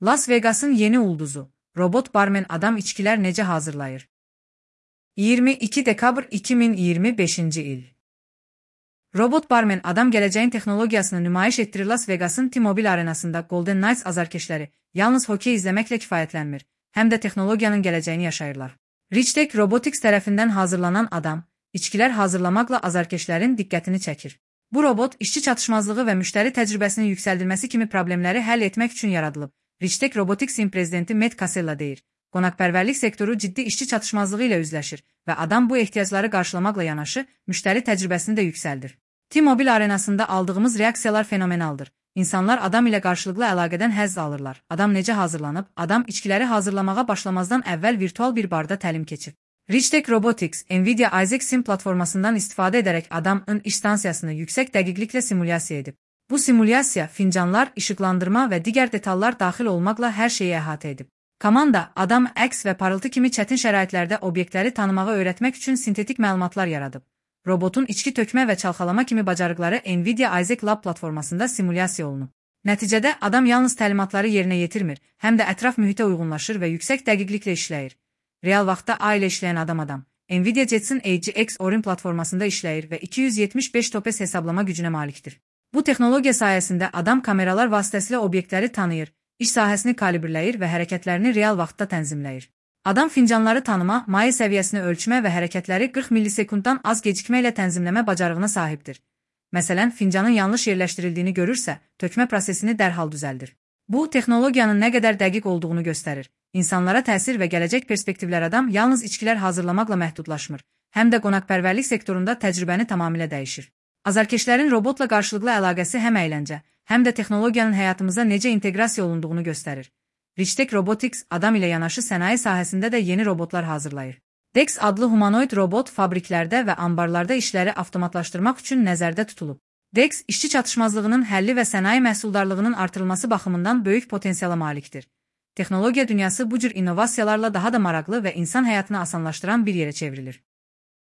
Las Vegas'ın yeni ulduzu, robot barmen adam içkiler necə hazırlayır? 22 dekabr 2025 il. Robot barmen adam gələcəyin texnologiyasını nümayiş etdirir. Las Vegas'ın T-Mobile arenasında Golden Knights azarkeşləri yalnız hokey izləməklə kifayətlənmir, həm də texnologiyanın gələcəyini yaşayırlar. Richtek Robotics tərəfindən hazırlanan adam, içkilər hazırlamaqla azarkeşlərin diqqətini çəkir. Bu robot, işçi çatışmazlığı və müştəri təcrübəsinin yüksəldilməsi kimi problemləri həll etmək üçün yaradılıb. Richtek Robotics'in prezidenti Matt Casella deyir, qonaqpərvərlik sektoru ciddi işçi çatışmazlığı ilə üzləşir və adam bu ehtiyacları qarşılamaqla yanaşı, müştəri təcrübəsini də yüksəldir. T-Mobile arenasında aldığımız reaksiyalar fenomenaldır. İnsanlar adam ilə qarşılıqlı əlaqədən həzz alırlar. Adam necə hazırlanıb? Adam içkiləri hazırlamağa başlamazdan əvvəl virtual bir barda təlim keçib. Richtek Robotics, Nvidia Isaac Sim platformasından istifadə edərək adamın iş stansiyasını yüksək dəqiqliklə simulyasiya edib. Bu simulyasiya fincanlar, işıqlandırma və digər detallar daxil olmaqla hər şeyi əhatə edib. Komanda, adam əks və parıltı kimi çətin şəraitlərdə obyektləri tanımağı öyrətmək üçün sintetik məlumatlar yaradıb. Robotun içki tökmə və çalxalama kimi bacarıqları Nvidia Isaac Lab platformasında simulyasiya olunub. Nəticədə adam yalnız təlimatları yerinə yetirmir, həm də ətraf mühitə uyğunlaşır və yüksək dəqiqliklə işləyir. Real vaxtda A ilə işləyən adam, Nvidia Jetson AGX Orin platformasında işləyir və 275 topes hesablama gücünə malikdir. Bu texnologiya sayəsində adam kameralar vasitəsilə obyektləri tanıyır, iş sahəsini kalibrləyir və hərəkətlərini real vaxtda tənzimləyir. Adam fincanları tanıma, maye səviyyəsini ölçmə və hərəkətləri 40 millisekunddan az gecikmə ilə tənzimləmə bacarığına sahibdir. Məsələn, fincanın yanlış yerləşdirildiyini görürsə, tökmə prosesini dərhal düzəldir. Bu, texnologiyanın nə qədər dəqiq olduğunu göstərir. İnsanlara təsir və gələcək perspektivlər adam yalnız içkilər hazırlamaqla məhdudlaşmır, həm də qonaqpərvərlik sektorunda təcrübəni tamamilə dəyişir. Azarkeşlərin robotla qarşılıqlı əlaqəsi həm əyləncə, həm də texnologiyanın həyatımıza necə inteqrasiya olunduğunu göstərir. Richtek Robotics adam ilə yanaşı sənaye sahəsində də yeni robotlar hazırlayır. Dex adlı humanoid robot fabriklərdə və ambarlarda işləri avtomatlaşdırmaq üçün nəzərdə tutulub. Dex, işçi çatışmazlığının həlli və sənaye məhsuldarlığının artırılması baxımından böyük potensiala malikdir. Texnologiya dünyası bu cür innovasiyalarla daha da maraqlı və insan həyatını asanlaşdıran bir yerə çevrilir.